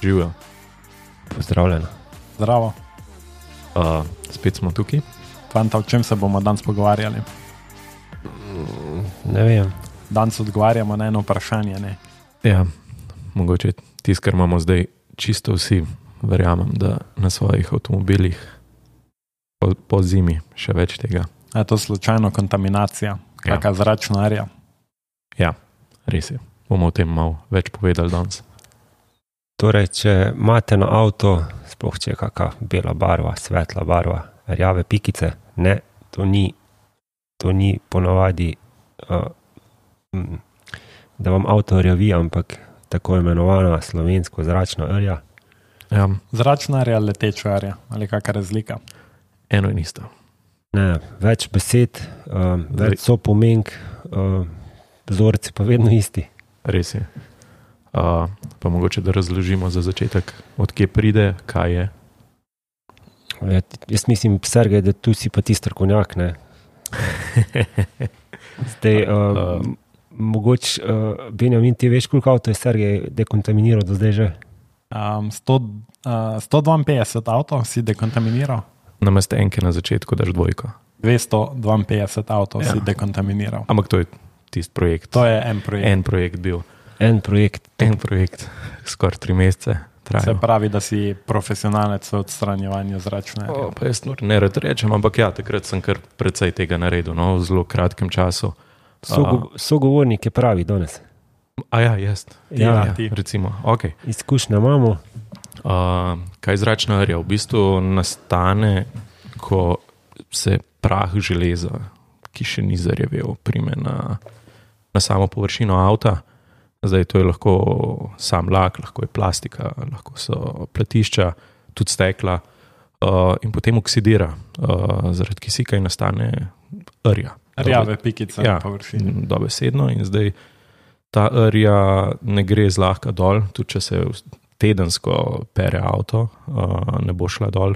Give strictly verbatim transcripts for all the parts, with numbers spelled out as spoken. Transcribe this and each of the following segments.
Živijo. Pozdravljeno. Zdravo. Uh, spet smo tukaj. Fanta, o čem se bomo danes pogovarjali? Ne vem. Danes odgovarjamo na eno vprašanje, ne? Ja, mogoče tisto, kar imamo zdaj čisto vsi, verjamem, da na svojih avtomobilih po, po zimi še več tega. Je to slučajno kontaminacija? Kakšna ja. Zračna arja? Ja, res je. Bomo o tem malo več povedali danes. Torej, če imate na avto, sploh če je kakšna bela barva, svetla barva, rjave pikice, ne, to ni, to ni ponavadi, uh, da vam avto rjavi, ampak tako imenovana slovensko zračna rja. Ja. Zračna arja, leteča arja, ali kakšna razlika? Eno in isto. Ne, več besed, uh, več so pomenk, uh, vzorci pa vedno isti. Res je. Uh, pa mogoče, da razložimo za začetek, od kje pride, kaj je. Ja, jaz mislim, Sergej, da tu si pa ti strokovnjak, ne? Zdaj, uh, uh, mogoče, uh, Benjamin, ti veš, koliko avto je Sergej dekontaminiral do zdaj že? Um, sto, uh, sto dvainpetdeset avto si dekontaminiral? Namesto enke na začetku daš dvojko. dvesto dvainpetdeset avto ja. si dekontaminiral. Ampak to je tisti projekt. To je en projekt. En projekt bil. En projekt. En projekt, skoraj tri mesece trajal. Se pravi, da si profesionalec v odstranjevanju zračne arje. O, pa jaz ne rad rečem, ampak ja, takrat sem kar precej tega naredil, no, v zelo kratkem času. Sogo, sogovornik je pravi danes. A ja, jaz. Ja, ja, recimo, ok. Izkušnja imamo. Uh, kaj zračna arja? V bistvu nastane, ko se prah železa, ki še ni zarjavel, prime na, na samo površino avta. Zdaj to je lahko sam lak, lahko je plastika, lahko so platišča, tudi stekla uh, in potem oksidira uh, zaradi kisika in nastane rja. Rjave pikice ja, na površini. Dobesedno in zdaj ta rja ne gre zlahka dol, tudi če se tedensko pere avto, uh, ne bo šla dol.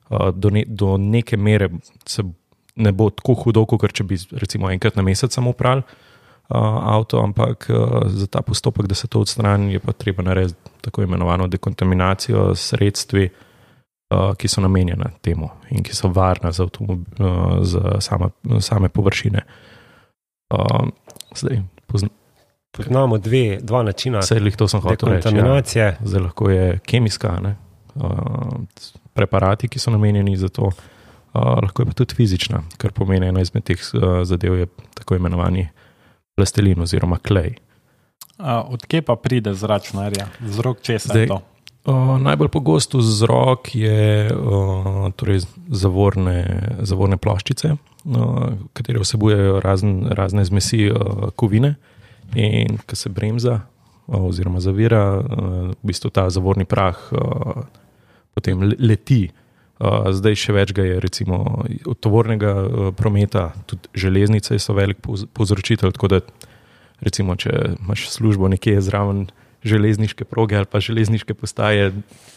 Uh, do, ne, do neke mere se ne bo tako hudo, kot če bi recimo enkrat na mesec samo prali uh, avto, ampak uh, za ta postopek, da se to odstrani, je pa treba narediti tako imenovano dekontaminacijo s sredstvi, uh, ki so namenjena temu in ki so varna za, avtomobil, uh, za same, same površine. Uh, zdaj, pozna, Poznamo dve, dva načina dekontaminacije. Ja. Zdaj lahko je kemijska, ne? Uh, preparati, ki so namenjeni za to, uh, lahko je pa tudi fizična, kar pomeni ena izmed teh uh, zadev je tako imenovani plastelin oziroma klej. Uh, od kje pa pride zračna arja? Vzrok česa Zdaj, je to? Uh, najbolj pogost vzrok je uh, torej zavorne, zavorne ploščice, uh, katere vsebujejo razne, razne zmesi uh, kovine. In ko se bremza oziroma zavira, v bistvu ta zavorni prah potem leti. Zdaj še več ga je recimo od tovornega prometa, tudi železnice so velik povzročitelj, tako da recimo, če imaš službo nekje zraven železniške proge ali pa železniške postaje,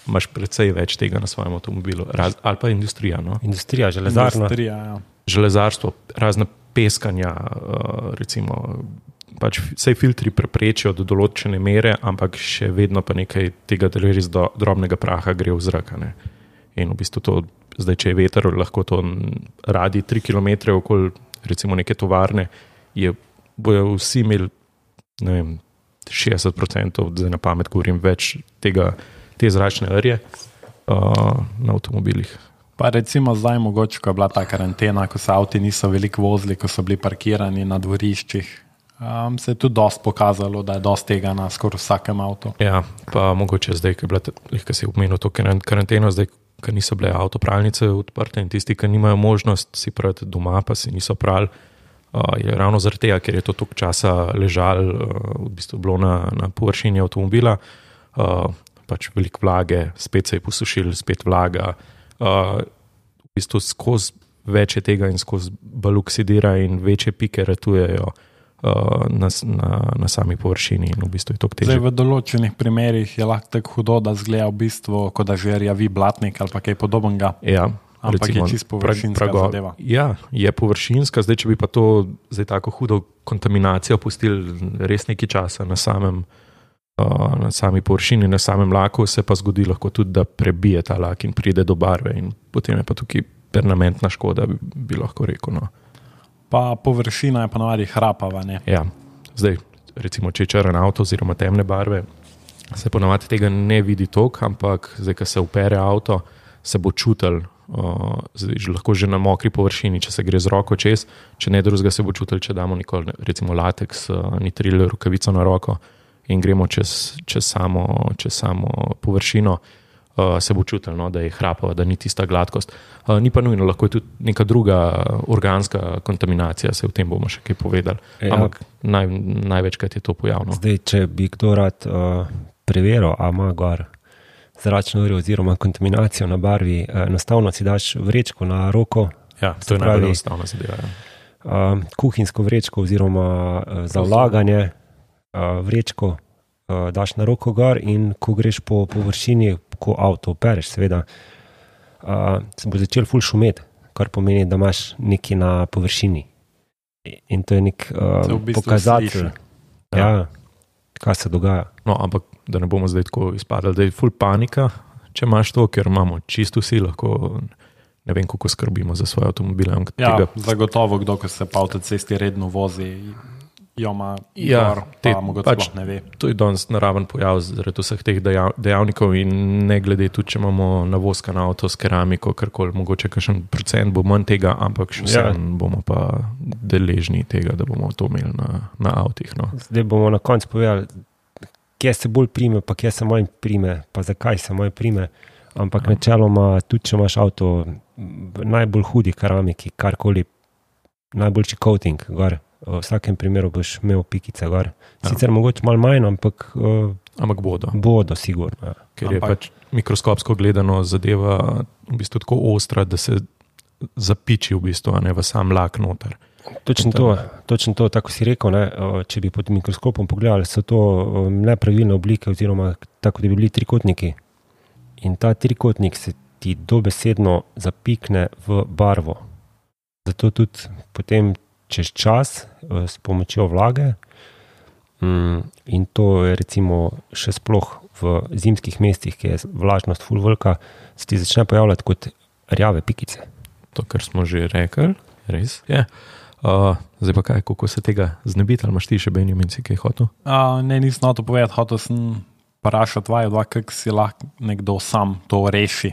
imaš precej več tega na svojem avtomobilu. Raz, ali pa industrija. No? Industrija, železarna. Industrija, ja. Železarstvo, razna peskanja, recimo pač vse filtri preprečijo do določene mere, ampak še vedno pa nekaj tega res do drobnega praha gre v zrak. Ne? In v bistvu to, zdaj, če je veter, lahko to radi tri kilometre okoli recimo neke tovarne, je, bojo vsi imeli, ne vem, šestdeset procentov, zdaj na pamet govorim, več tega, te zračne rje uh, na avtomobilih. Pa recimo zdaj mogoče, ko je bila ta karantena, ko se avti niso veliko vozili, ko so bili parkirani na dvoriščih, Um, se je tudi dosti pokazalo, da je dosti tega na skoraj vsakem avtu. Ja, pa mogoče zdaj, ko je bila, ko si omenil to karanteno, zdaj, ko niso bile avtopralnice odprte in tisti, ki nimajo možnost si prati doma, pa si niso prali, uh, je ravno zaradi tega, ker je to toliko časa ležal, uh, v bistvu bilo na, na površini avtomobila, uh, pač veliko vlage, spet se je posušil, spet vlaga, uh, v bistvu skozi več je tega in skozi bolj oksidira in večje pike ratujejo Na, na, na sami površini in v bistvu je to težje. Zdaj v določenih primerih je lahko tako hudo, da zgleda v bistvu, kot da že rjavi blatnik ali pa kaj podobnega. Ja, ampak recimo, je čisto površinska prago, zadeva. Ja, je površinska, zdaj če bi pa to zdaj tako hudo kontaminacijo pustili res nekaj časa na samem uh, na sami površini, na samem laku, se pa zgodi lahko tudi, da prebije ta lak in pride do barve in potem je pa tukaj permanentna škoda, bi, bi lahko rekel. No. Pa površina je ponovadi hrapava, ne? Ja, zdaj, recimo, če je črn avto oziroma temne barve, se ponovadi tega ne vidi toliko, ampak zdaj, ko se upere avto, se bo čutil, uh, zdaj, lahko že na mokri površini, če se gre z roko čez, če ne drugega se bo čutil, če damo nikoli, recimo lateks, uh, nitril rokavico na roko in gremo čez, čez, samo, čez samo površino, uh, se bo čutil, no, da je hrapava, da ni tista gladkost. Uh, ni pa nujno, lahko je tudi neka druga organska kontaminacija, se v tem bomo še kaj povedali. Ja. Ampak naj, največkrat je to pojavno. Zdaj, če bi kdo rad uh, preveril, a ima gor zračno uro oziroma kontaminacijo na barvi, enostavno si daš vrečko na roko. Ja, to je najbolj enostavna zadeva. Ja. Uh, kuhinjsko vrečko oziroma uh, za vlaganje uh, vrečko uh, daš na roko gor in ko greš po površini, ko avto opereš, seveda, uh, se bo začel ful šumeti, kar pomeni, da imaš nekaj na površini. In to je nek uh, v bistvu pokazatelj, ja, kaj se dogaja. No, ampak da ne bomo zdaj tako izpadali, da je ful panika, če imaš to, ker imamo čisto vsi, lahko ne vem, kako skrbimo za svoje avtomobile. Ja, tega... zagotovo, kdo, ko se pa avtocesti redno vozi, jo ima ja, gor, pa mogoče pač, sploh ne ve. To je danes naraven pojav zaradi vseh teh dejav, dejavnikov in ne glede tudi, če imamo navozkan avto s keramiko, karkoli, mogoče kakšen procent bo manj tega, ampak še vsem ja. bomo pa deležni tega, da bomo to imeli na, na avtih. No. Zdaj bomo na koncu povedali, kje se bolj prime, pa kje se manj prime, pa zakaj se manj prime, ampak ja. načeloma, tudi če imaš avto v najbolj hudi keramiki, karkoli, najboljši coating gor, v vsakem primeru boš imel pikice gor. Sicer ja. mogoče malo manj, ampak, uh, ampak bodo. Bodo, sigurno. Ja. Ker ampak... je pač mikroskopsko gledano zadeva v bistvu tako ostra, da se zapiči v bistvu, a ne v sam lak noter. Točno to, točno to, tako si rekel, ne, če bi pod mikroskopom pogledali, so to nepravilne oblike oziroma tako, da bi bili trikotniki. In ta trikotnik se ti dobesedno zapikne v barvo. Zato tudi potem čez čas s pomočjo vlage in to je recimo še sploh v zimskih mestih, ki je vlažnost ful velika, se ti začne pojavljati kot rjave pikice. To, kar smo že rekli, res je. Uh, zdaj pa kaj, kako se tega znebiti, ali imaš ti še Benjamin, si kaj hotel? Uh, ne, nisem na to povedati, hotel sem vprašati vaju dva, kako si lahko nekdo sam to reši.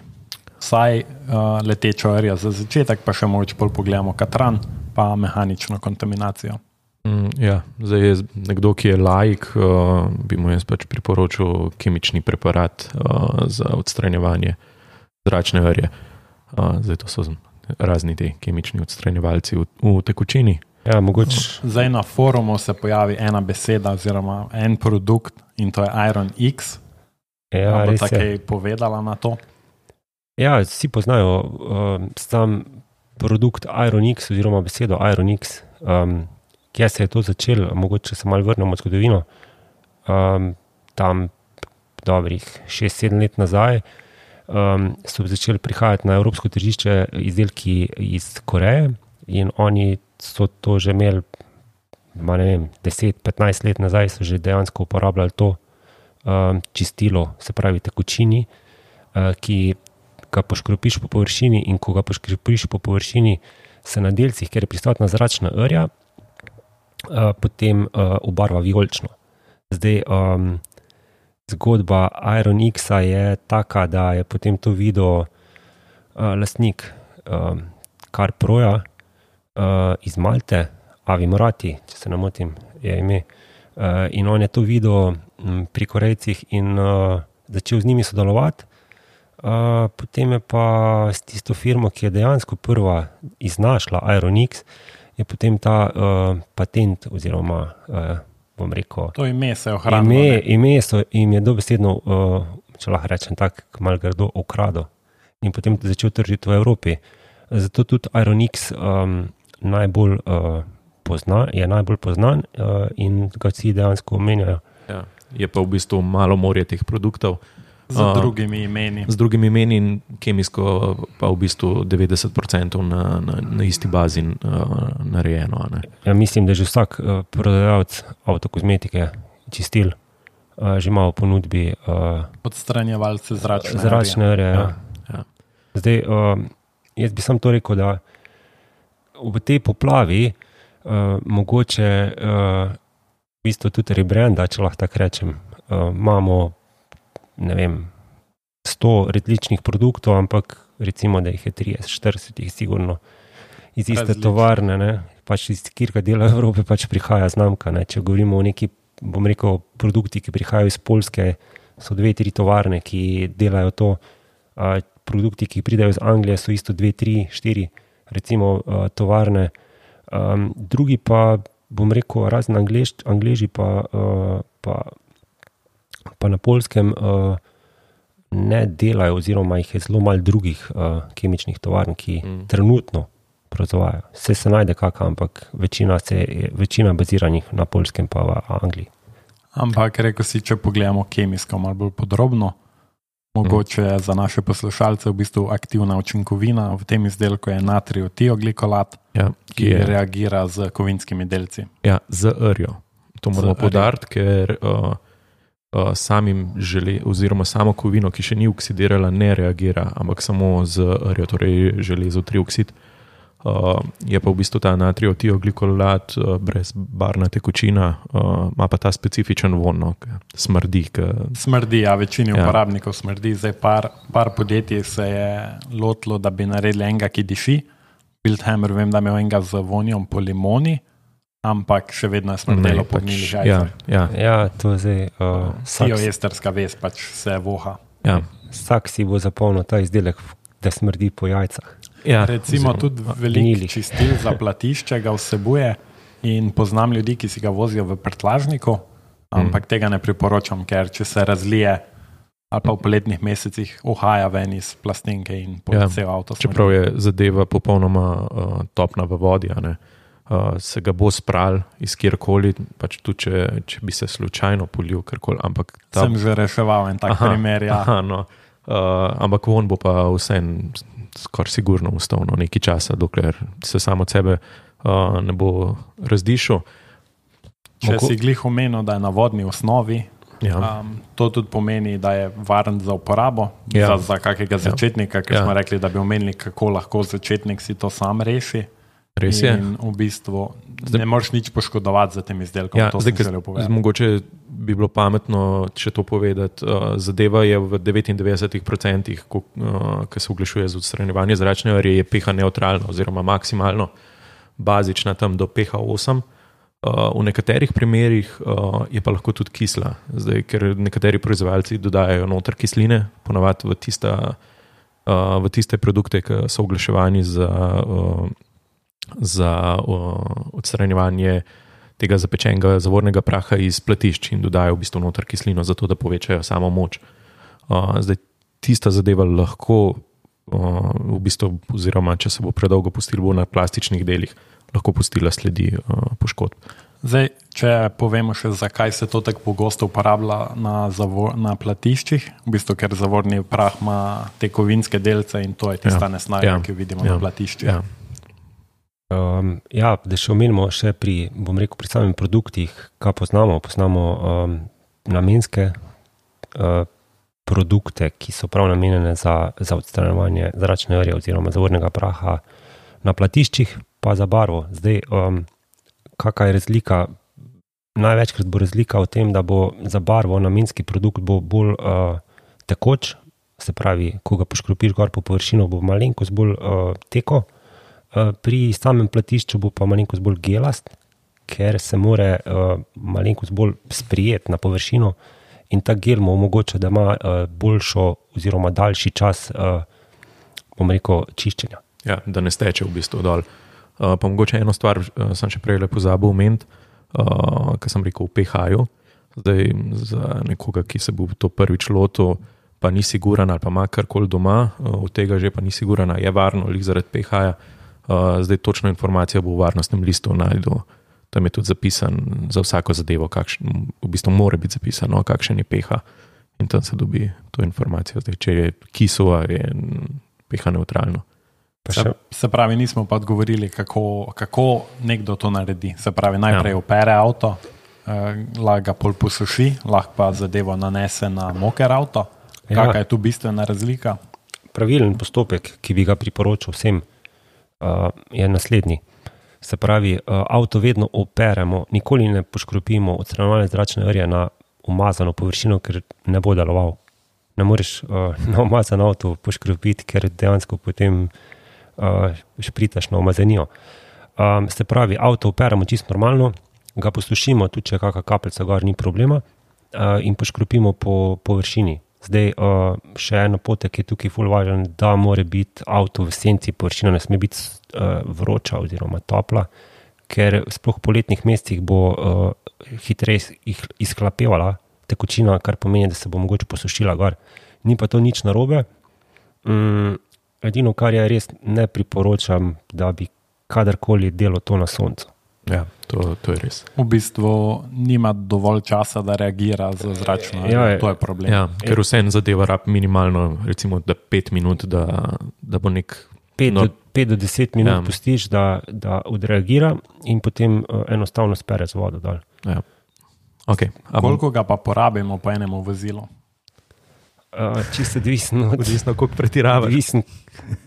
Vsaj uh, letečo rjo za začetek, pa še mogoče bolj pogledamo katran, pa mehanično kontaminacijo. Mm, ja, zdaj je nekdo, ki je laik, uh, bi mu jaz pač priporočil kemični preparat uh, za odstranjevanje zračne rje. Uh, zdaj to so razni te kemični odstranjevalci v, v tekočini. Ja, mogoče. Zdaj na forumu se pojavi ena beseda oziroma en produkt in to je Iron X. Ja, bo res tako je. povedala na to? Ja, vsi poznajo uh, sam produkt Iron X oziroma besedo Iron X. Um, kje se je to začelo? Mogoče se malo vrnemo v zgodovino. Um, tam dobrih šest sedem let nazaj Um, so začeli prihajati na evropsko tržišče izdelki iz Koreje in oni so to že imeli, ma ne vem, deset petnajst let nazaj so že dejansko uporabljali to um, čistilo, se pravi tekočini, uh, ki ga poškropiš po površini in ko ga poškropiš po površini se na delcih, kjer je prisotna zračna rja, uh, potem uh, obarva vijolično. Zdaj, um, zgodba Iron X-a je taka, da je potem to videl uh, lastnik um, Carproja uh, iz Malte, Avi Morati, če se ne motim, je ime. Uh, in on je to videl um, pri Korejcih in uh, začel z njimi sodelovati. Uh, potem je pa s tisto firmo, ki je dejansko prva iznašla Iron X, je potem ta uh, patent oziroma uh, bom rekel, to ime se je ohranilo. Ime, ime so, jim je dobesedno, uh, če lahko rečem tak, malo grdo ukradel in potem začel tržiti v Evropi. Zato tudi Iron X um, najbolj uh, pozna, je najbolj poznan uh, in ga vsi dejansko omenjajo. Ja, je pa v bistvu malo morje teh produktov. Z drugimi imeni. Z drugimi imeni in kemijsko pa v bistvu devetdeset procentov na, na, na isti bazi uh, narejeno. Ne? Ja, mislim, da že vsak uh, prodajalec avtokozmetike, čistil, uh, že ima v ponudbi uh, odstranjevalce zračne, zračne rje. Ja. Ja. Zdaj, uh, jaz bi sam to rekel, da v tej poplavi uh, mogoče uh, v bistvu tudi rebranda, če lahko tako rečem, uh, imamo, ne vem, sto različnih produktov, ampak recimo, da jih je trideset, štirideset jih sigurno iz iste Različne. tovarne, ne? Pač iz kjerkega dela Evrope pač prihaja znamka. Ne? Če govorimo o neki, bom rekel, produkti, ki prihajajo iz Poljske, so dve, tri tovarne, ki delajo to. Uh, produkti, ki pridajo iz Anglije, so isto dve, tri, štiri, recimo uh, tovarne. Um, drugi pa, bom rekel, razen Anglež, Angleži pa, uh, pa, pa na Poljskem uh, ne delajo, oziroma jih je zelo malo drugih uh, kemičnih tovarn, ki mm. trenutno proizvajajo. Vse se najde kaka, ampak večina, se, večina baziranih na Poljskem pa v Angliji. Ampak rekel si, če pogledamo kemijsko malo bolj podrobno, mogoče mm. za naše poslušalce v bistvu aktivna učinkovina v tem izdelku je natrijev tioglikolat, ja, ki je, reagira z kovinskimi delci. Ja, z rjo. To moramo poudariti, ker uh, uh, samim žele, oziroma samo kovino, ki še ni oksidirala, ne reagira, ampak samo z rjo, torej železo trioksid. Uh, je pa v bistvu ta natrijev tioglikolat uh, brez barvna tekočina, uh, ima pa ta specifičen von, no, smrdi. K... Smrdi, ja, večini ja. uporabnikov smrdi. Zdaj par, par podjetij se je lotilo, da bi naredili enega, ki diši. Wildhammer, vem, da je imel enega z vonjom po limoni, ampak še vedno je smrdelo po gnilih jajcah. Ja, ja. ja, to je zdaj... Uh, Tioesterska vez pač se voha. Ja. Vsak si bo zapolnil ta izdelek, da smrdi po jajcah. Ja, recimo tudi veliko čistil za platišče ga vsebuje in poznam ljudi, ki si ga vozijo v prtljažniku, ampak mm. tega ne priporočam, ker če se razlije ali pa v poletnih mesecih uhaja ven iz plastenke in po ja, cel avto smrdi. Čeprav je zadeva popolnoma uh, topna v vodi, ne? Uh, se ga bo spral iz kjerkoli, pač tudi če, če bi se slučajno polil kjerkoli. Ampak ta... Sem že reševal en tak aha, primer, ja. Aha, no. uh, ampak on bo pa vsem skoraj sigurno ustal no, nekaj časa, dokler se samo od sebe uh, ne bo razdišel. Če Moko... si glih omenil, da je na vodni osnovi, ja. um, to tudi pomeni, da je varen za uporabo, ja. za, za kakega začetnika, ker ja. smo rekli, da bi omenili, kako lahko začetnik si to sam reši. Res je. In v bistvu zdaj, ne moreš nič poškodovati za tem izdelkom. Ja, to zdaj, sem želel povedati. Mogoče bi bilo pametno, če to povedati. Uh, zadeva je v devetindevetdeset odstotkov, ko uh, se oglašuje z odstranjevanje zračne rje, je pH neutralno oziroma maksimalno bazična tam do pH osem. Uh, v nekaterih primerih uh, je pa lahko tudi kisla, zdaj, ker nekateri proizvajalci dodajajo noter kisline, ponavadi v, tista, uh, v tiste produkte, ki so oglaševani za... Uh, za uh, odstranjevanje tega zapečenega zavornega praha iz platišč in dodajo v bistvu noter kislino, zato da povečajo samo moč. Uh, zdaj, tista zadeva lahko, uh, v bistvu, oziroma če se bo predolgo pustil, bo na plastičnih delih lahko pustila sledi uh, poškodb. Zdaj, če povemo še, zakaj se to tako pogosto uporablja na, zavor, na platiščih, v bistvu, ker zavorni prah ima te kovinske delce in to je tista ja. nesnaga, ja. ki jo vidimo ja. na platiščih. Ja. Um, ja, da še omenimo še pri, bom rekel, pri samih produktih, kaj poznamo, poznamo um, namenske uh, produkte, ki so prav namenjene za, za odstranjevanje zračne rje oziroma zavornega praha na platiščih, pa za barvo. Zdaj, um, kakaj je razlika? Največkrat bo razlika v tem, da bo za barvo namenski produkt bo bolj uh, tekoč, se pravi, ko ga poškropiš gor po površino, bo malenkost bolj uh, teko. Pri samem platišču bo pa malenkost bolj gelast, ker se more uh, malenkost bolj sprijeti na površino in ta gel mu omogoča, da ima uh, boljšo oziroma daljši čas, uh, bom rekel, čiščenja. Ja, da ne steče v bistvu dol. Uh, pa mogoče eno stvar, uh, sem še prej pozabil omeniti, uh, kar sem rekel v pH-ju. Zdaj za nekoga, ki se bo to prvič lotil, pa ni siguran ali pa ima karkoli doma, uh, od tega že pa ni siguran, je varno, lih zaradi pH-ja. Uh, zdaj točno informacija bo v varnostnem listu najdel. Tam je tudi zapisan za vsako zadevo, kakšen, v bistvu mora biti zapisano, kakšen je pH in tam se dobi to informacijo. Zdaj, če je kisova, je pH neutralno. Se, se pravi, nismo pa odgovorili, kako, kako nekdo to naredi. Se pravi, najprej ja. opere avto, lahko ga pol posuši, lahko pa zadevo nanese na moker avto. Ja. Kakšna je tu bistvena razlika? Pravilen postopek, ki bi ga priporočil vsem, uh, je naslednji. Se pravi, uh, avto vedno operemo, nikoli ne poškropimo odstranjevalne zračne rje na umazano površino, ker ne bo deloval. Ne moreš uh, na umazan avto poškropiti, ker dejansko potem uh, špritaš na umazanijo. Um, se pravi, avto operemo čisto normalno, ga posušimo, tudi če kakšna kapljica gor, ni problema, uh, in poškropimo po površini. Zdaj, uh, še en napotek je tukaj ful važen, da mora biti avto v senci, površina ne sme biti uh, vroča oziroma topla, ker sploh v poletnih mesecih bo uh, hitreje izhlapevala tekočina, kar pomeni, da se bo mogoče posušila gor. Ni pa to nič narobe. Um, edino, kar je res ne priporočam, da bi kadarkoli delo to na soncu. Ja, to, to je res. V bistvu nima dovolj časa, da reagira z zračno. Ja, to je problem. Ja, ker vse en zadeva rab minimalno, recimo da pet minut, da, da bo nek... pet no, do deset minut ja. pustiš, da, da odreagira in potem uh, enostavno spere z vodo dol. Ja. Okay. A bom, Koliko ga pa porabimo po enemu vozilu? Uh, čisto odvisno od... odvisno, koliko pretiravaš. Odvisno.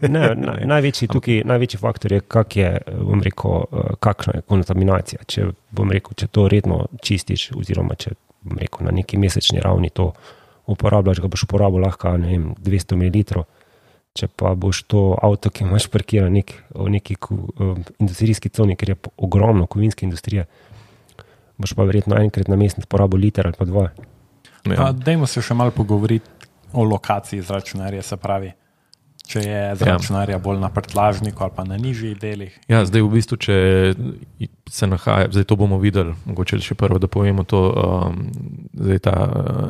Ne, na, največji, tukaj, največji faktor je, kak je, bom rekel, kakšna je kontaminacija. Če, bom rekel, če to redno čistiš, oziroma če, bom rekel, na neki mesečni ravni to uporabljaš, ga boš uporabil lahko, ne vem, dvesto mililitrov. Če pa boš to avto, ki imaš parkiran nek, v neki um, industrijski coni, ker je ogromno kovinske industrije, boš pa verjetno enkrat na mesec porabil liter ali pa dva. Ja. Pa dajmo se še malo pogovoriti o lokaciji zračnarja, se pravi, če je zračnarja bolj na prtlažniku ali pa na nižjih delih. Ja, zdaj v bistvu, če se nahaja, zdaj to bomo videli, mogoče še prvo, da povemo to, um, zdaj ta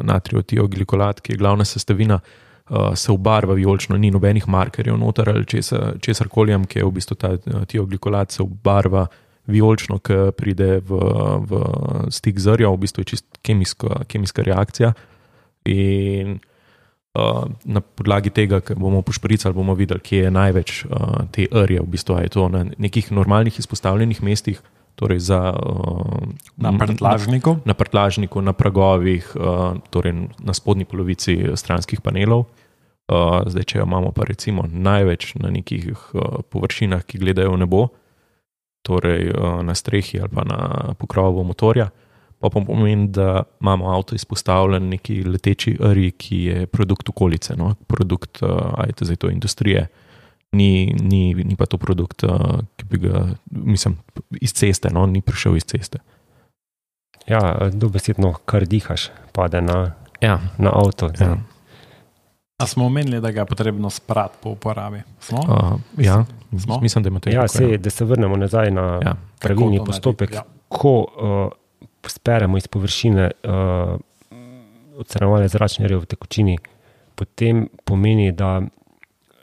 natrijev tioglikolat, ki je glavna sestavina, uh, se obarva vijolično, ni nobenih markerjev noter ali česar, česar kolijem, ki je v bistvu ta tioglikolat se obarva vijolično, ki pride v, v stik z rjo, v bistvu je čist kemijska, kemijska reakcija in Uh, na podlagi tega, ker bomo pošpricali, bomo videli, kje je največ uh, te rje, v bistvu je to na nekih normalnih izpostavljenih mestih, torej za, uh, Na prtlažniku? Na, na prtlažniku, na pragovih, uh, torej na spodnji polovici stranskih panelov. Uh, zdaj, če jo imamo pa recimo največ na nekih uh, površinah, ki gledajo v nebo, torej uh, na strehi ali pa na pokrovu motorja, pa pomeni, da imamo avto izpostavljen neki leteči rji, ki je produkt okolice, no? Produkt, ajte zdaj to industrije, ni, ni, ni pa to produkt, ki bi ga, mislim, iz ceste, no? Ni prišel iz ceste. Ja, dobesedno, kar dihaš, pade na, ja. na avto. Ja. A smo omenili, da ga je potrebno sprati po uporabi? Smo? Uh, ja, Smo? mislim, da imate Ja, tako, sej, da se vrnemo nazaj na Ja. pravilni Kako to postopek, narediti, ja. ko uh, speremo iz površine uh, odstranjevalne zračne rje v tekočini, potem pomeni, da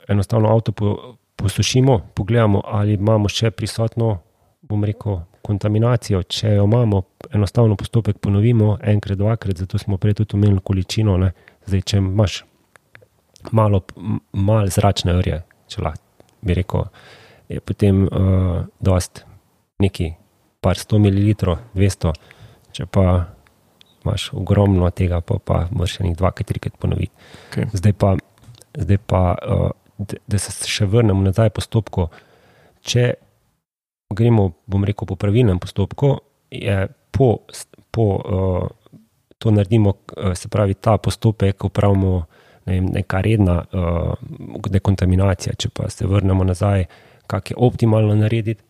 enostavno avto po, posušimo, pogledamo, ali imamo še prisotno, bom rekel, kontaminacijo. Če jo imamo, enostavno postopek ponovimo enkrat, dvakrat, zato smo prej tudi omenili količino. Ne? Zdaj, če imaš malo, malo zračne rje, če lahko bi rekel, je potem uh, dost neki par sto mililitrov, dvesto, če pa imaš ogromno tega, pa, pa moraš še nekaj dvakrat, trikrat ponoviti. Okay. Zdaj pa, zdaj pa uh, da se še vrnemo nazaj postopku, če gremo, bom rekel, po pravilnem postopku, je po, po uh, to naredimo, uh, se pravi, ta postopek upravimo ne vem, neka redna uh, dekontaminacija, če pa se vrnemo nazaj, kak je optimalno narediti,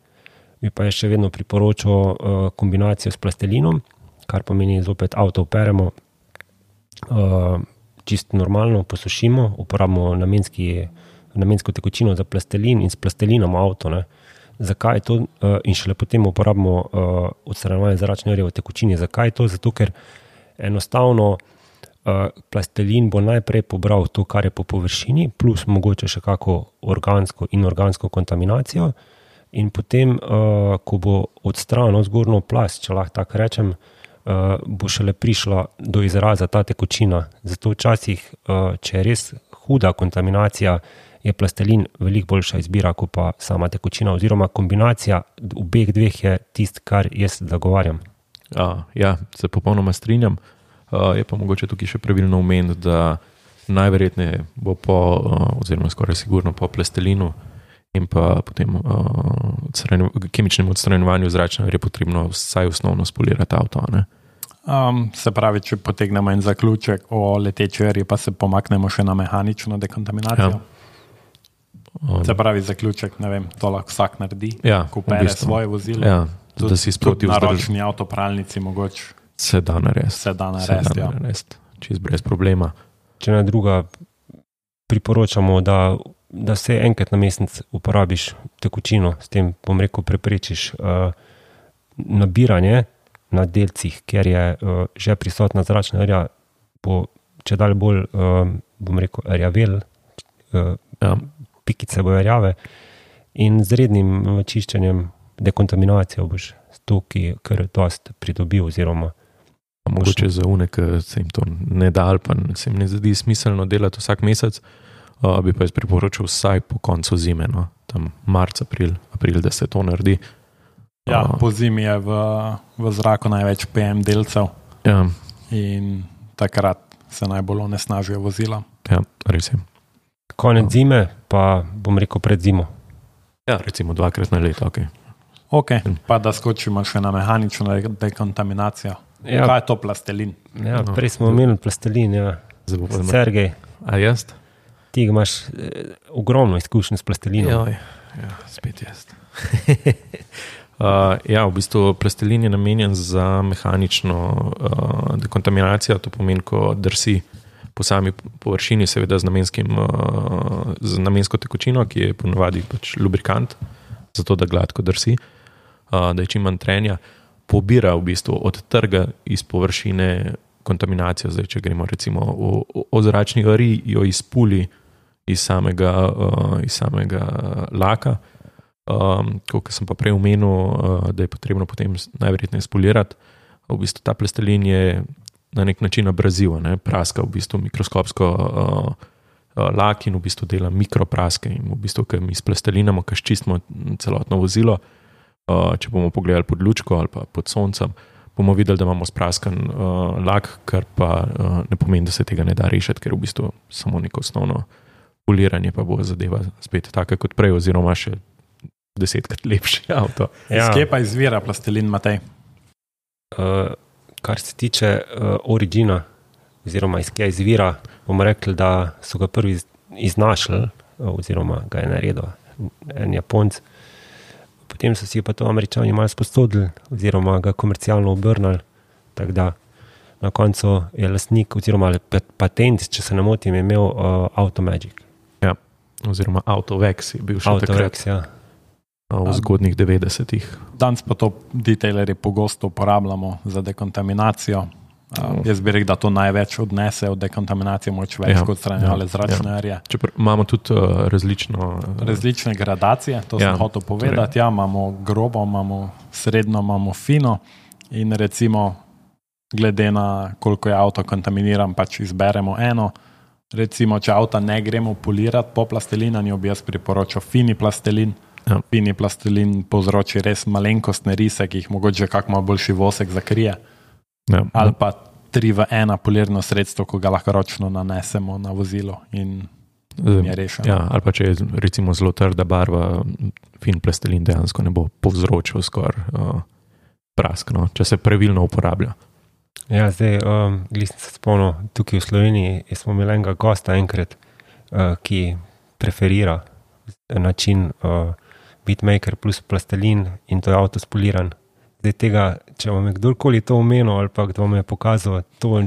bi pa je še vedno priporočal uh, kombinacijo s plastelinom, kar pomeni zopet avto operemo, uh, čisto normalno posušimo, uporabimo namenski, namensko tekočino za plastelin in s plastelinom avto. Ne. Zakaj to? Uh, in šele potem uporabimo uh, odstranjevanje zračne rje v tekočini. Zakaj to? Zato, ker enostavno uh, plastelin bo najprej pobral to, kar je po površini, plus mogoče še kako organsko in organsko kontaminacijo. In potem, uh, ko bo odstranil zgornjo plast, če lahko tako rečem, uh, bo šele prišla do izraza ta tekočina. Zato včasih, uh, če je res huda kontaminacija, je plastelin veliko boljša izbira, kot pa sama tekočina, oziroma kombinacija obeh dveh je tist, kar jaz zagovarjam. Uh, ja, se popolnoma strinjam. Uh, je pa mogoče tukaj še pravilno omeniti, da najverjetneje bo po, uh, oziroma skoraj sigurno po plastelinu in pa potem uh, odstranju, kemičnem odstranjevanju zračne je potrebno vsaj osnovno spolirati avto. Ne? Um, se pravi, če potegnemo en zaključek o leteči erji, pa se pomaknemo še na mehanično dekontaminacijo. Ja. Um, se pravi, zaključek, ne vem, to lahko vsak naredi, ja, ko pere v bistvu. svoje vozilo. Ja, da si sproti vzdrži. Na ročni avtopralnici mogoče. Se da narediti. Se da narediti, ja. Čist brez problema. Če na druga priporočamo, da, da se enkrat na mesec uporabiš tekočino, s tem, bom rekel, preprečiš uh, nabiranje na delcih, ker je uh, že prisotna zračna erja, bo če dalje bolj, uh, bom rekel, rjavel, uh, ja. Pikice bojo rjave in z rednim čiščenjem, dekontaminacijo boš to, ki kar dost pridobil oziroma mogoče za une, ki se jim to ne da ali pa se jim ne zdi smiselno delati vsak mesec, uh, bi pa jaz priporočil vsaj po koncu zime, no? Tam marc, april, april, da se to naredi. Ja, uh, po zimi je v, v zraku največ P M delcev ja. In takrat se najbolj onesnažijo vozila. Ja, res je. Konec zime, pa bom rekel pred zimo. Ja, recimo dvakrat na leto, ok. Ok, pa da skočimo še na mehanično dekontaminacijo. Ja. Kaj je to plastelin? Ja, prej smo omenili plastelin, ja. Sergej. A jaz? Ti imaš eh, ogromno izkušnje s plastelinom. Joj, ja, spet jaz. uh, ja, v bistvu plastelin je namenjen za mehanično uh, dekontaminacijo, to pomeni, ko drsi po sami površini, seveda z, namenskim, uh, z namensko tekočino, ki je ponovadi pač lubrikant, zato da gladko drsi, uh, da je čim manj trenja, pobira v bistvu od trga iz površine kontaminacijo. Zdaj, če gremo recimo o, o zračni ari, jo izpuli iz samega, uh, iz samega laka. Um, kot sem pa prej omenil, uh, da je potrebno potem najverjetneje spolirati. V bistvu ta plastelin je na nek način abraziv, ne? Praska v bistvu mikroskopsko uh, uh, lak in v bistvu dela mikropraske. In v bistvu, ko mi splastelinamo, ko ščistimo celotno vozilo, uh, če bomo pogledali pod lučko ali pa pod soncem, bomo videli, da imamo spraskan uh, lak, kar pa uh, ne pomeni, da se tega ne da rešiti, ker v bistvu samo neko osnovno poliranje pa bo zadeva spet taka kot prej, oziroma še desetkrat lepši avto. Ja. Skje pa izvira plastelin, Matej? Uh, kar se tiče uh, origina, oziroma iz kje izvira, bomo rekli, da so ga prvi iznašli, oziroma ga je naredil en Japonc. Potem so si pa to Američani malo sposodili, oziroma ga komercialno obrnili, tako da na koncu je lastnik, oziroma patent, če se ne motim, je imel uh, Automagic. Ja, oziroma Autovex je bil še Autovex, takrat. Ja. V zgodnih devetdesetih. Danes pa to detailerji pogosto uporabljamo za dekontaminacijo. Uh, jaz bi rekel, da to največ odnese od dekontaminacije, moč več ja, kot stranjale ja, zračne erje. Ja. Imamo tudi uh, različno... Uh, Različne gradacije, to ja, sem hotel povedati. Torej. Ja, imamo grobo, imamo srednjo, imamo fino in recimo glede na koliko je avto kontaminiran, pač izberemo eno. Recimo, če avta ne gremo polirati po plastelinanju, bi jaz priporočal fini plastelin. Ja. Fini plastelin povzroči res malenkostne rise, ki jih mogoče kak malo boljši vosek zakrije. Ja. Ali pa tri v ena polirno sredstvo, ko ga lahko ročno nanesemo na vozilo in je rešeno. Ja, ali pa če je recimo zelo trda barva, fin plastelin dejansko ne bo povzročil skoraj uh, prask, no, če se pravilno uporablja. Ja, zdaj, um, glisem se spomnil, tukaj v Sloveniji smo imeli enega gosta enkrat, uh, ki preferira način uh, Beatmaker plus plastelin in to je avto spoliran. Zdaj tega, če vam je kdorkoli to omenil ali pa kdo vam je pokazal, to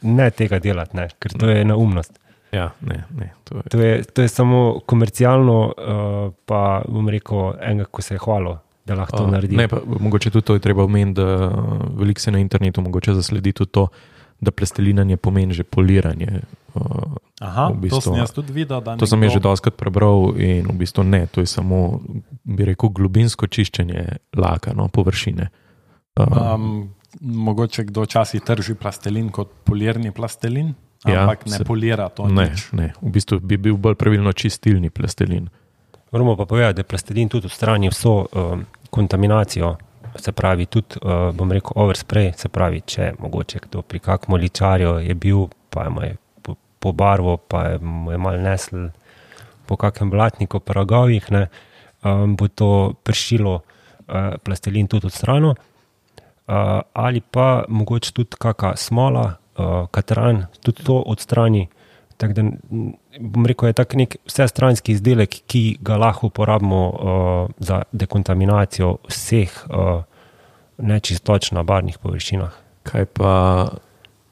ne tega delati, ne, ker to je neumnost. Ja, ne, ne. To je, to je, to je samo komercialno, uh, pa bom rekel, enega, ko se je hvalil, da lahko to uh, naredi. Ne, pa mogoče tudi to je treba omeniti, da veliko se na internetu mogoče zasledi tudi to, da plastelinanje pomeni že poliranje. Uh, Aha, v bistvu, to sem jaz tudi videl. Da to sem jaz že doskrat prebral in v bistvu ne, to je samo, bi rekel, globinsko čiščenje laka, no, površine. Uh, um, mogoče kdo včasih trži plastelin kot polirni plastelin, ampak ja, ne se, polira to ne, nič. Ne, v bistvu bi bil bolj pravilno čistilni plastelin. Moramo pa povedati, da plastelin tudi odstrani vso um, kontaminacijo se pravi tudi, uh, bom rekel, overspray, se pravi, če mogoče kdo pri kakmu ličarju je bil, pa je po, po barvo, pa je, je mal nesl po kakem blatniku, pa ragovih, ne, um, bo to pršilo uh, plastelin tudi od strano, uh, ali pa mogoče tudi kaka smola, uh, katran, tudi to od strani. Tako da, bom rekel, je tak nek vsestranski izdelek, ki ga lahko uporabimo uh, za dekontaminacijo vseh uh, nečistoč na barvnih površinah. Kaj pa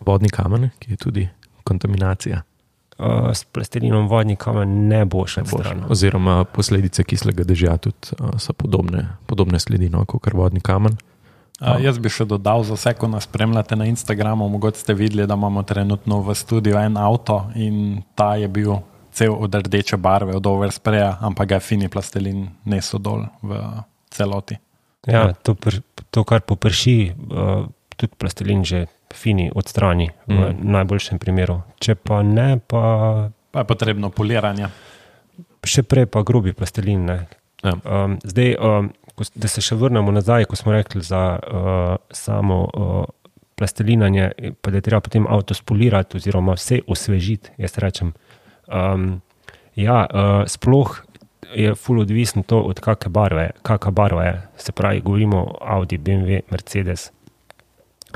vodni kamen, ki je tudi kontaminacija? Uh, s plastelinom vodni kamen ne bo še odstranjen. Oziroma posledice kislega dežja tudi uh, so podobne, podobne sledi, no, kot vodni kamen. Uh, jaz bi še dodal, za vse, ko nas spremljate na Instagramu, mogoče ste videli, da imamo trenutno v studiu en avto in ta je bil cel od rdeče barve, od overspraya, ampak ga je fini plastelin nesel dol v celoti. Ja, to, pr, to kar poprši, uh, tudi plastelin že fini odstrani mm. v najboljšem primeru. Če pa ne, pa... Pa je potrebno poliranje. Še prej pa grobi plastelin, ne. Ja. Um, zdaj... Um, da se še vrnemo nazaj, ko smo rekli za uh, samo uh, plastelinanje, pa da je treba potem avto spolirati oziroma vse osvežiti, jaz rečem. Um, ja, uh, sploh je ful odvisno to, od kakve barve, kakva barva je. Se pravi, govorimo Audi, B M W, Mercedes,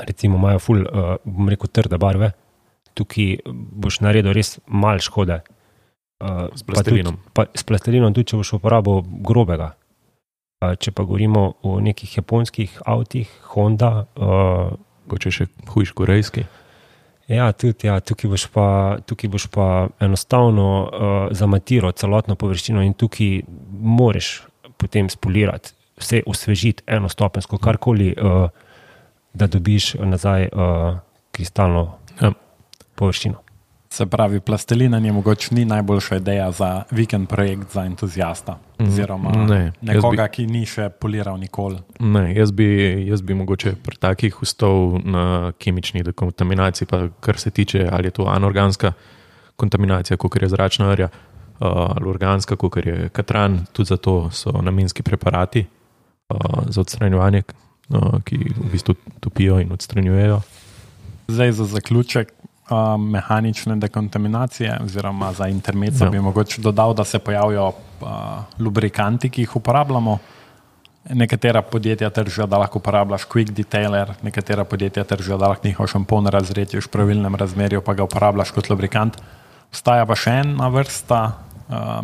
recimo imajo ful, uh, bom rekel, trde barve, tukaj boš naredil res malo škode. Uh, s plastelinom. Pa tudi, pa, s plastelinom tudi, če boš uporabil grobega. Če pa govorimo o nekih japonskih avtih, Honda. Mogoče uh, še hujš korejski. Ja, tudi, ja, tukaj boš pa, tukaj boš pa enostavno uh, zamatiral celotno površino in tukaj moraš potem spolirati, vse osvežiti enostopensko, karkoli, uh, da dobiš nazaj uh, kristalno ja. površino. Se pravi, plastelinanje mogoče ni najboljša ideja za vikend projekt za entuzijasta, oziroma ne, nekoga, bi, ki ni še poliral nikoli. Ne, jaz bi, jaz bi mogoče pri takih ustal na kemični dekontaminaciji, pa kar se tiče, ali je to anorganska kontaminacija, kakor je zračna rja, ali organska, kakor je katran, tudi zato so namenski preparati za odstranjevanje, ki v bistvu topijo in odstranjujejo. Zdaj za zaključek, Uh, mehanične dekontaminacije oziroma za intermezzo ja. bi mogoče dodal, da se pojavijo uh, lubrikanti, ki jih uporabljamo. Nekatera podjetja tržijo, da lahko uporabljaš quick detailer, nekatera podjetja tržijo, da lahko njihov šampon razredješ v pravilnem razmerju, pa ga uporabljaš kot lubrikant. Obstaja pa še ena vrsta uh,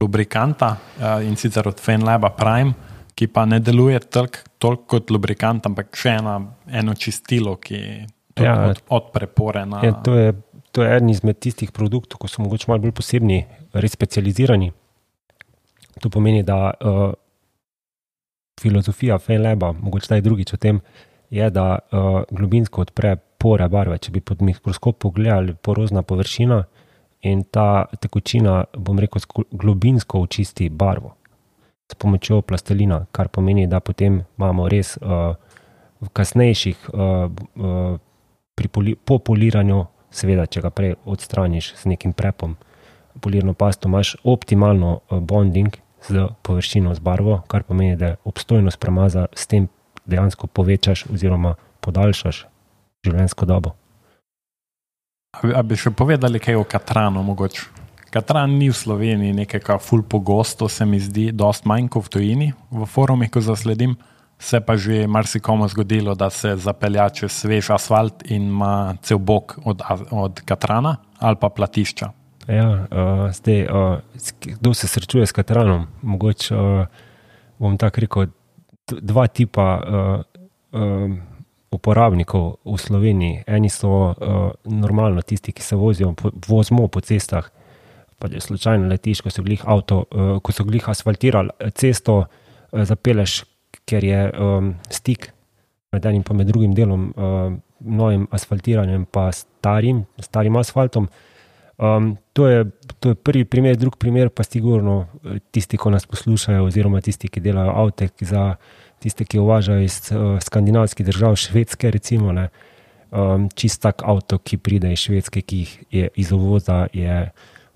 lubrikanta uh, in sicer od Fenlaba Prime, ki pa ne deluje toliko kot lubrikant, ampak še ena, eno čistilo, ki Ja, od, od prepore na... Ja, to, je, to je eden izmed tistih produktov, ko so mogoče malo bolj posebni, res specializirani. To pomeni, da uh, filozofija Fenlaba, mogoče taj drugič o tem, je, da uh, globinsko odpre pore barve. Če bi pod mikroskop pogledali porozna površina in ta tekočina, bom rekel, globinsko očisti barvo s pomočjo plastelina, kar pomeni, da potem imamo res uh, v kasnejših uh, uh, Poli, po poliranju, seveda, če ga prej odstraniš z nekim prepom, polirno pasto, imaš optimalno bonding z površino, z barvo, kar pomeni, da obstojnost premaza s tem dejansko povečaš oziroma podaljšaš življenjsko dobo. A bi še povedali kaj o katranu mogoče? Katran ni v Sloveniji nekaj ful pogosto, se mi zdi, dost manj kot v tujini, v forumih, ko zasledim. Se pa že marsikomu zgodilo, da se zapelja čez svež asfalt in ima cel bok od, od katrana ali pa platišča. Ja, uh, zdaj, uh, kdo se srečuje s katranom? Mogoče uh, bom tako rekel, dva tipa uh, uh, uporabnikov v Sloveniji. Eni so uh, normalno tisti, ki se vozijo, po, vozimo po cestah, pa je slučajno letiš, ko so glih avto, uh, ko so glih asfaltirali cesto, uh, zapeleš, ker je um, stik med enim pa med drugim delom, um, novim asfaltiranjem pa starim, starim asfaltom. Um, to, je, to je prvi primer, drug primer pa sigurno tisti, ko nas poslušajo oziroma tisti, ki delajo avte, ki za tiste, ki uvažajo iz uh, skandinavskih držav, Švedske recimo, ne, um, čist tak avto, ki pride iz Švedske, ki je iz uvoza, je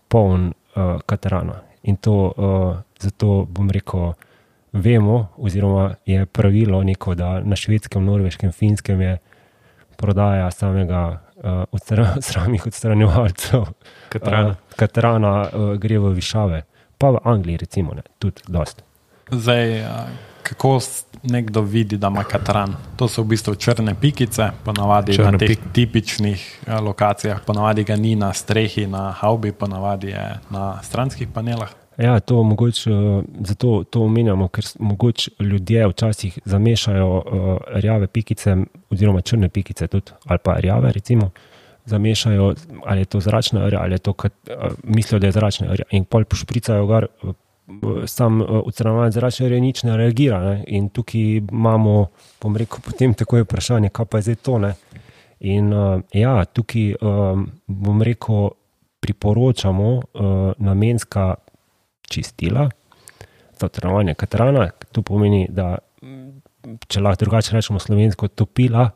poln uh, katrana. In to uh, zato bom rekel, vemo, oziroma je pravilo neko, da na švedskem, norveškem, finskem je prodaja samega uh, odstra, samih odstranjevalcev Katrana, uh, katrana uh, gre v višave. Pa v Angliji recimo, ne, tudi dost. Zdaj, kako nekdo vidi, da ima katran? To so v bistvu črne pikice, ponavadi črne na teh pik. tipičnih lokacijah, ponavadi ga ni na strehi, na havbi, ponavadi je na stranskih panelah. Ja, to mogoče, zato to omenjamo, ker mogoče ljudje včasih zamešajo uh, rjave pikice oziroma črne pikice tudi, ali pa rjave recimo, zamešajo, ali je to zračna rja, ali je to, kat, uh, mislijo, da je zračna rja in pol pošpricajo gar, uh, sam uh, odstranjevalec zračne rje nič ne reagira, ne? In tukaj imamo, bom rekel, potem tako je vprašanje, kaj pa je zdaj to, ne? In uh, ja, tukaj um, bom rekel, priporočamo uh, namenska čistila za odstranjevanje katrana. To pomeni, da če lahko drugače rečemo slovensko, topila,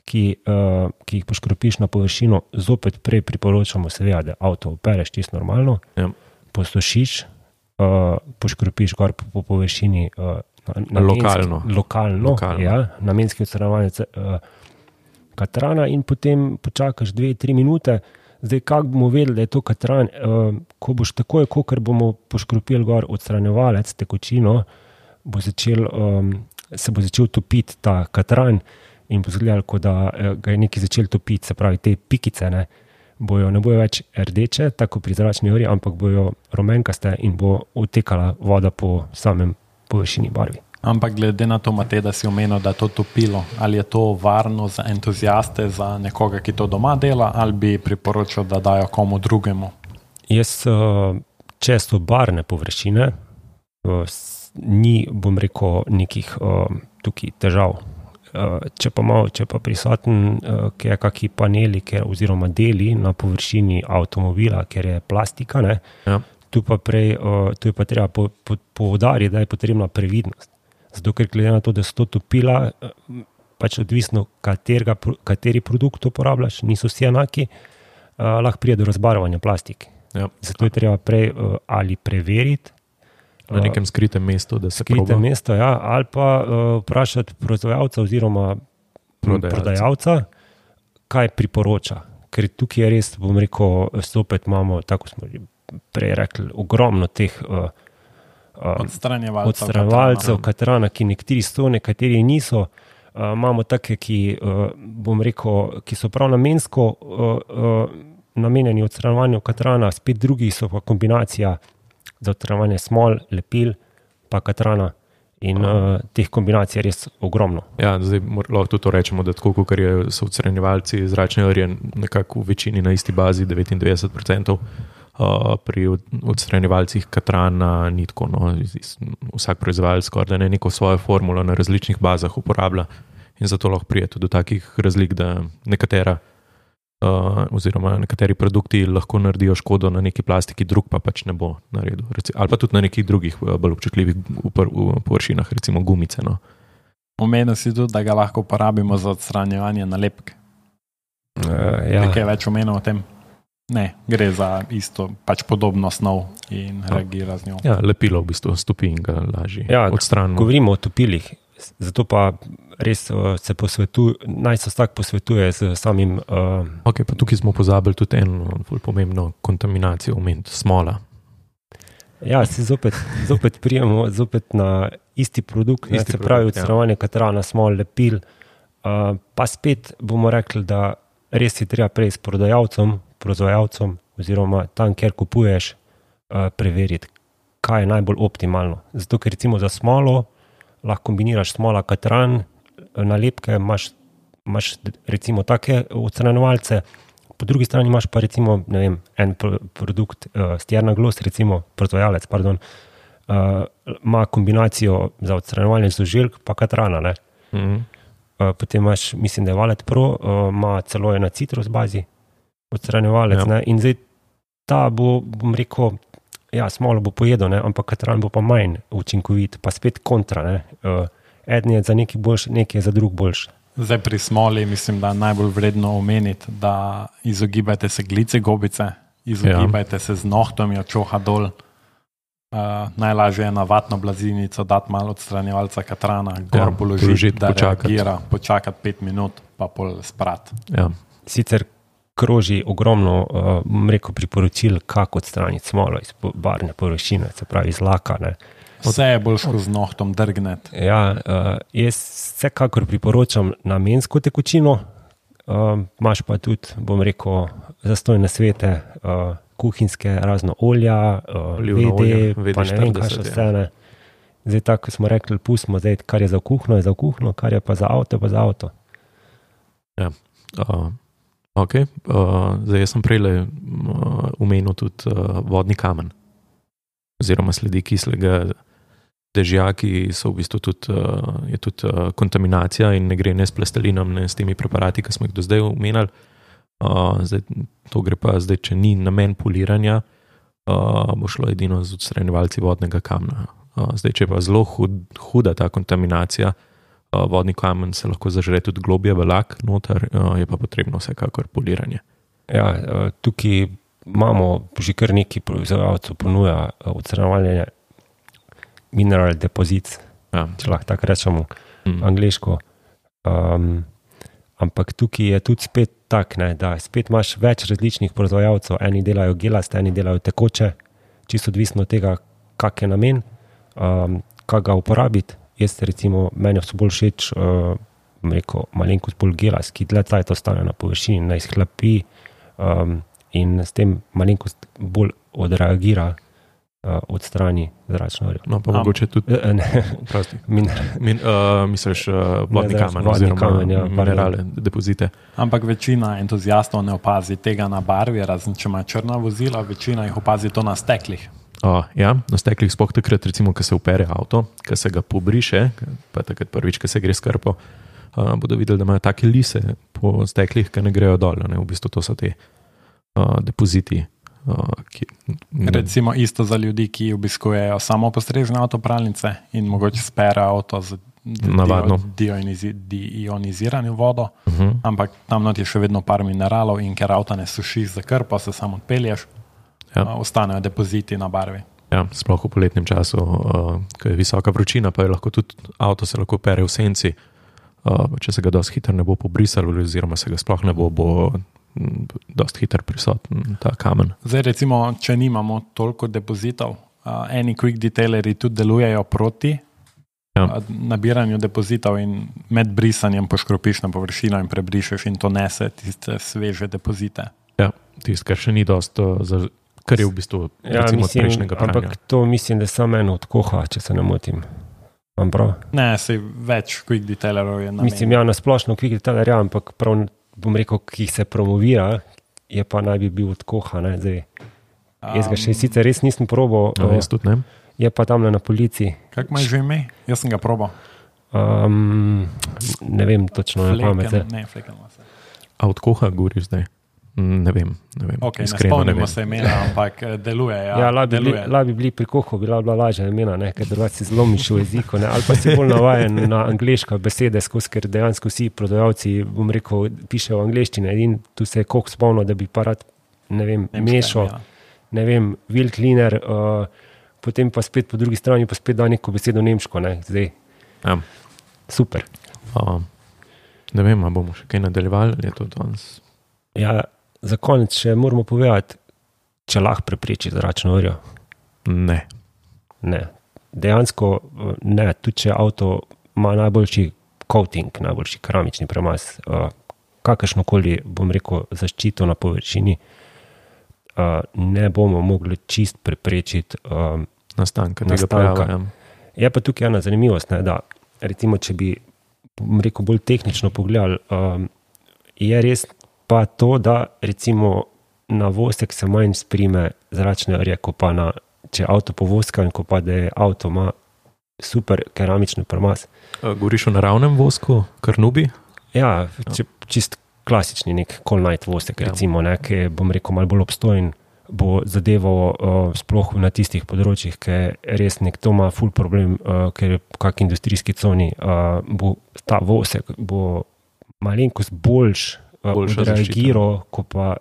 ki, uh, ki jih poškropiš na površino, zopet prej priporočamo seveda, da avto opereš čisto normalno, ja. Posušiš, uh, poškropiš gor po, po površini uh, namenski, lokalno, lokalno, lokalno. Ja, namenski odstranjevanje uh, katrana in potem počakaš dve, tri minute. Zdaj, kako bomo vedeli, da je to katran, uh, ko boš takoj, ko bomo poškropili gor odstranjevalec, tekočino, bo začel, um, se bo začel topiti ta katran in bo zgledalo, kot da uh, ga je nekaj začel topiti, se pravi, te pikice ne bojo, ne bojo več rdeče, tako pri zračni orji, ampak bojo rumenkaste in bo odtekala voda po samem površini barvi. Ampak glede na to, Matej, da si omenil, da je to topilo, ali je to varno za entuziaste, za nekoga, ki to doma dela, ali bi priporočil, da dajo komu drugemu? Jaz, če so barne površine, ni, bom rekel, nekih tukaj težav. Če pa, malo, če pa prisoten, ki je kakšni paneli ker, oziroma deli na površini avtomobila, ker je plastika, ne, ja. tu, pa prej, tu je pa treba po, po, poudariti, da je potrebna previdnost. Zato, ker glede na to, da so to topila, pač odvisno, katerega, kateri produkt uporabljaš, niso vsi enaki, uh, lahko pride do razbarvanja plastike. Ja. Zato je treba prej uh, ali preveriti. Na nekem skritem mestu, da se skritem proba. Mesto, ja, ali pa uh, vprašati proizvajalca oziroma prodajalca. prodajalca, kaj priporoča. Ker tukaj je res, bom rekel, spet imamo, tako smo prej rekli, ogromno teh uh, odstranjevalcev, odstranjevalcev katrana, ki nekateri so, nekateri niso. Uh, imamo take, ki, uh, bom rekel, ki so prav namensko uh, uh, namenjeni odstranjevanju katrana, spet drugi so pa kombinacija za odstranjevanje smol, lepil, pa katrana. In uh, teh kombinacij je res ogromno. Ja, zdaj lahko tudi to rečemo, da tako, ker so odstranjevalci zračne orje nekako v večini na isti bazi, devetindevetdeset procentov, Uh, pri odstranjevalcih katrana ni tako, no, vsak proizvajalec skoraj da ne neko svojo formulo na različnih bazah uporablja in zato lahko prije tudi do takih razlik, da nekatera uh, oziroma nekateri produkti lahko naredijo škodo na neki plastiki, drug pa pač ne bo naredil. Ali pa tudi na nekih drugih bolj občutljivih površinah, recimo gumice. No. Omenil si tudi, da ga lahko uporabimo za odstranjevanje nalepk. Uh, ja. Nekaj več omenil o tem? Ne, gre za isto, pač podobno snov in reagira z njo. Ja, lepilo v bistvu stopi in ga lažje ja, odstranimo. Govorimo o topilih, zato pa res se posvetuje, naj se vsak posvetuje z samim... Uh... Ok, pa tukaj smo pozabili tudi eno pomembno kontaminacijo, omeniti smola. Ja, se zopet, zopet prijemo zopet na isti produkt, isti ne, se pravi odstranjevanje ja. katrana, smol, lepil, uh, pa spet bomo rekli, da res je treba prej s prodajalcem, proizvajalcem oziroma tam, kjer kupuješ, uh, preveriti, kaj je najbolj optimalno. Zato, ker recimo za smolo lahko kombiniraš smola, katran, nalepke, imaš, imaš recimo take odstranjevalce, po drugi strani imaš pa recimo, ne vem, en pro, produkt, uh, Stjernaglos, recimo proizvajalec, pardon, uh, ima kombinacijo za odstranjevanje žuželk pa katrana, ne. Mhm. Uh, potem imaš, mislim, da je Valet Pro, uh, ima celo je na citrus bazi, odstranjevalec, ja. ne, in zdaj ta bo, bom rekel, ja, smolo bo pojedel, ne, ampak katran bo pa manj učinkovit, pa spet kontra, ne, uh, eden je za neki boljši, neki je za drug boljši. Zdaj pri smoli mislim, da najbolj vredno omeniti, da izogibajte se glice gobice, izogibajte ja. se z nohtom, jo čoha dol, Uh, najlažje je na vatno blazinico dati malo odstranjevalca katrana, gor Ja, položiti, položiti, da počakati. reagira, počakati pet minut, pa pol sprat. Ja. Sicer kroži ogromno, uh, bom rekel, priporočil, kako odstraniti smolo iz po- barvne površine, se pravi iz laka. Ne. Vse je bolj ško z nohtom drgneti. Ja, uh, jaz vsekakor priporočam namensko tekočino, uh, imaš pa tudi, bom rekel, zastojne svete, uh, kuhinjske, razno olja, uh, Olivno V D, olje, V D pa ne vem, kaj še štirideset, vse. Ne. Zdaj, tako smo rekli, pustimo, zdaj, kar je za kuhno, je za kuhno, kar je pa za avto, pa za avto. Uh, okay. uh, zdaj, jaz sem prej uh, omenil tudi uh, vodni kamen, oziroma sledi kislega dežja, ki so v bistvu tudi, uh, je tudi uh, kontaminacija in ne gre ne s plastelinom, ne s temi preparati, ki smo jih do zdaj omenjali. Uh, zdaj, to gre pa zdaj, če ni namen poliranja, uh, bo šlo edino z odstranjevalci vodnega kamna. Uh, zdaj, če je pa zelo hud, huda ta kontaminacija, uh, vodni kamen se lahko zažre tudi globje v lak noter, uh, je pa potrebno vsekakor poliranje. Ja, uh, tukaj imamo že kar nekaj proizvajalcev ponuja uh, odstranjevanje mineral deposits, Ja. če lahko tako rečemo, Mm. angliško. Um, ampak tukaj je tudi spet tak, ne, da spet imaš več različnih proizvajalcev, eni delajo gelaste, eni delajo tekoče, čisto odvisno od tega, kak je namen, um, kaj ga uporabiti. Jaz recimo, meni so bolj všeč, uh, bom rekel, malenkost bolj gelast, ki dlje cajt ostane na površini, ne izhlapi um, in s tem malenkost bolj odreagira uh, od strani zračno orjo. No, pa Am. mogoče tudi, Uh, ne, prosti, min, min, uh, misliš uh, vodni Ne, kamen, vodni oziroma kamen, ja, minerale, depozite. Ampak večina entuzijastov ne opazi tega na barvi, razen če ima črna vozila, večina jih opazi to na steklih. Uh, ja, na steklih spoh takrat, recimo, ko se upere avto, ko se ga pobriše, pa takrat prvič, ko se gre skrpo, uh, bodo videli, da imajo take lise po steklih, ki ne grejo dol. Ne? V bistvu to so te uh, depoziti. Uh, ki, Recimo isto za ljudi, ki obiskujejo samo postrežne avtopralnice in mogoče spere avto z Navadno. deionizirano vodo, uh -huh. ampak tam not je še vedno par mineralov in ker avto ne sušiš za krpo, se samo odpelješ, Ja. ja. ostanejo depoziti na barvi. Ja, sploh v poletnem času, uh, ko je visoka vročina, pa je lahko tudi avto se lahko pere v senci. Uh, če se ga dosti hitro ne bo pobrisalo, oziroma se ga sploh ne bo, bo mm, dosti hitro prisoten ta kamen. Zdaj recimo, če nimamo toliko depozitov, uh, eni quick detailerji tudi delujejo proti Ja. uh, nabiranju depozitov in med brisanjem poškropiš na površino in prebrišeš in to nese tiste sveže depozite. Ja, tisto, kar še ni dosti, uh, za, kar je v bistvu ja, recimo, mislim, prejšnjega pranja. ampak to mislim, da samo eno od koha, če se ne motim. Imam prav? Ne, se več quick detailerov je na Mislim, ja, na splošno quick detailer, ja, ampak prav, bom rekel, ki jih se promovira, je pa naj bi bil od koha. Ne, zdaj. Jaz ga še sicer res nisem probal, No, jaz tudi ne. je pa tam na policiji. Kako imaš že ime? Jaz sem ga probal. Um, ne vem točno na pamet. Fleken, ne, fleken ima se. A od koha govoriš zdaj? Mm, Ne vem, ne vem. Okay, ne Iskreno ne spomnimo vem. se imena, ampak eh, deluje. Ja, Ja, lahko bi, bili- deluje. lahko bi bili pri kohu, bila bila lažja imena, ne, ker drugače si zlomiš v jeziku, ne, ali pa si bolj navajen na angleška besede, skozi, ker dejansko vsi prodajalci, bom rekel, pišejo v angleščini in tu se je koh spomnil, da bi pa rad, ne vem, Nemška mešal, imena. ne vem, wheel cleaner, uh, potem pa spet po drugi strani pa spet da neko besedo nemško, ne, zdaj, Ja. super. Uh, ne vem, ali bomo še kaj nadaljevali, ali je to danes. Ja, za konec še moramo povedati, če lahko prepreči zračno orjo. Ne. Ne. Dejansko eh, ne, tudi če avto ima najboljši coating, najboljši keramični premaz, uh, kakršnokoli, bom rekel, zaščito na površini, uh, ne bomo mogli čist preprečiti. Uh, Nastanka tega Nastanka. pojava. Ja. je pa tukaj ena zanimivost, ne, da recimo, če bi, bom rekel, bolj tehnično pogledali, um, je res pa to, da recimo na vosek se manj sprime zračne orje, ko pa na, če je avto povoskan, ko pa da je avto ima super keramični premaz. Uh, Govoriš o naravnem vosku, karnubi? Ja, če, čist klasični nek Colnite vosek, Ja. recimo, ne, ki je, bom rekel, malo bolj obstojen, bo zadeval uh, sploh na tistih področjih, ki je res nek to ima ful problem, uh, ker je kak industrijski coni, uh, bo ta vosek bo malenkost boljš uh, Boljša odreagiral, kot pa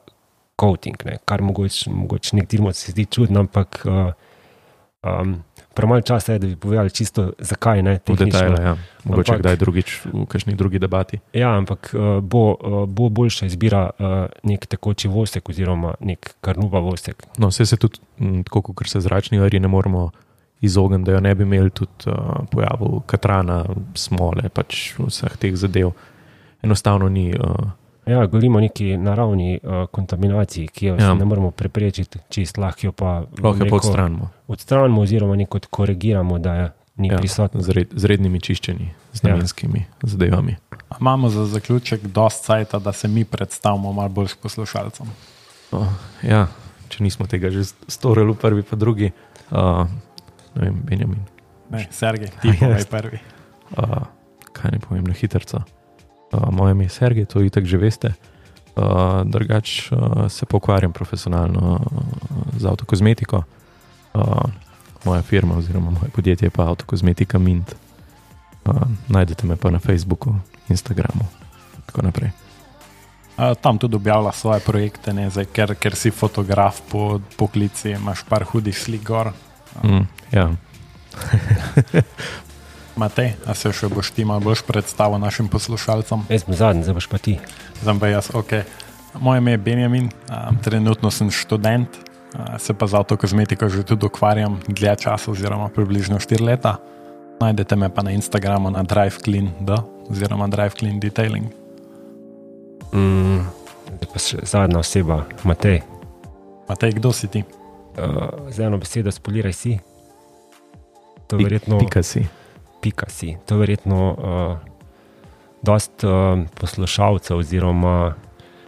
coating, ne, kar mogoče, mogoče nekdim se zdi čudno, ampak uh, Um, Premalo časa je, da bi povedali čisto zakaj, ne, v detajle, ja. Mogoče Ampak- kdaj drugič v kakšni drugi debati. Ja, ampak uh, bo, uh, bo boljša izbira uh, nek tekoči vosek oziroma nek karnuba vosek. No, vse se tudi, m, tako kot se zračni ari ne moremo izogniti, da jo ne bi imeli tudi uh, pojavov katrana, smole, pač vseh teh zadev. Enostavno ni. Uh, Ja, govorimo o neki naravni uh, kontaminaciji, ki jo Ja. ja. ne moremo preprečiti, čist lahko jo pa, lahko jo neko pa odstranimo. odstranimo oziroma neko korigiramo, da je ni Ja, prisotno. z, red, z rednimi čiščenji, z namenskimi ja. zadevami. A imamo za zaključek dosti cajta, da se mi predstavimo malo bolj s poslušalcem. Uh, ja, če nismo tega že storili v prvi pa drugi, uh, ne vem, Benjamin. Ne, Sergej, ti povej prvi. Uh, kaj ne povem na hitrca. Uh, moje ime je Sergej, to itak že veste. Uh, drugač uh, se pokvarjam profesionalno uh, z avtokozmetiko. Uh, moja firma oziroma moje podjetje je pa Avtokozmetika Mint. Uh, najdete me pa na Facebooku, Instagramu, tako naprej. A, tam tudi objavlja svoje projekte, ne, zdaj, ker, ker si fotograf po poklici, imaš par hudih slik gor. Mm, ja. Matej, a se še boš ti malo boljš predstavil našim poslušalcem? Jaz sem zadnji, zdaj boš pa ti. Zdaj pa jaz, ok. Moje ime je Benjamin, a, trenutno sem študent, a, se pa z avtokozmetiko že tudi ukvarjam dlje časa, oziroma približno štiri leta. Najdete me pa na Instagramu na DriveClean.d oziroma DriveClean Detailing. Mm, zdaj pa še zadnja oseba, Matej. Matej, kdo si ti? Uh, z eno besedo spoliraj si. To Pik- verjetno Pika si. pika si. To verjetno uh, dost uh, poslušalcev oziroma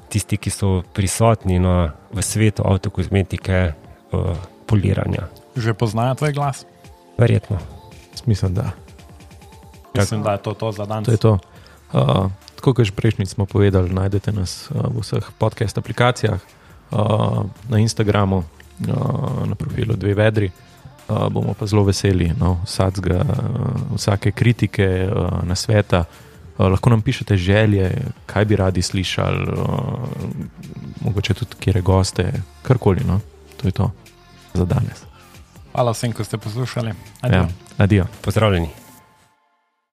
tisti, ki so prisotni na, v svetu avtokozmetike, uh, poliranja. Že poznajo tvoj glas? Verjetno. Mislim, da. Mislim, da je to to za danes. To je to. Uh, tako kot že prejšnjič smo povedali, najdete nas uh, v vseh podcast aplikacijah, uh, na Instagramu, uh, na profilu Dve vedri. Uh, bomo pa zelo veseli no, vsakega, uh, vsake kritike, uh, nasveta. Uh, lahko nam pišete želje, kaj bi radi slišali, uh, mogoče tudi kjere goste, karkoli. No. To je to za danes. Hvala vsem, ko ste poslušali. Ja, adijo. Pozdravljeni.